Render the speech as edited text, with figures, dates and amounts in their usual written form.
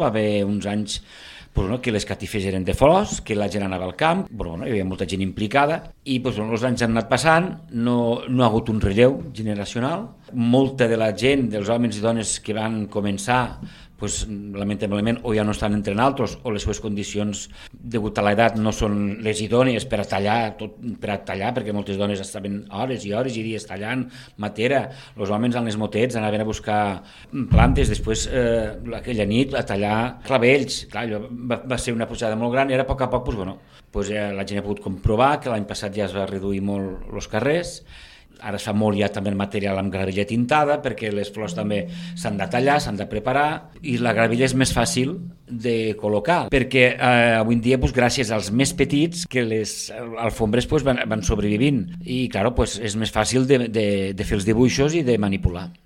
Va haver uns anys que les catifes eren de flors, que la gent anava al camp, hi havia molta gent implicada i els anys han anat passant, no ha hagut un relleu generacional. Molta de la gent, dels homes i dones que van començar, lamentablement o ja no estan entre altres o les seves condicions degut a l'edat no són les idònies per a tallar, perquè moltes dones estaven hores i hores i dies tallant matera, els homes amb les motets anaven a buscar plantes, després aquella nit a tallar clavells. Clar, allò va ser una posada molt gran i ara a poc a poc la gent ha pogut comprovar que l'any passat ja es va reduir molt els carrers. Ara es fa molt ja també el material amb gravilla tintada perquè les flors també s'han de tallar, s'han de preparar i la gravilla és més fàcil de col·locar perquè avui en dia gràcies als més petits que les alfombres van sobrevivint i clar, és més fàcil de fer els dibuixos i de manipular.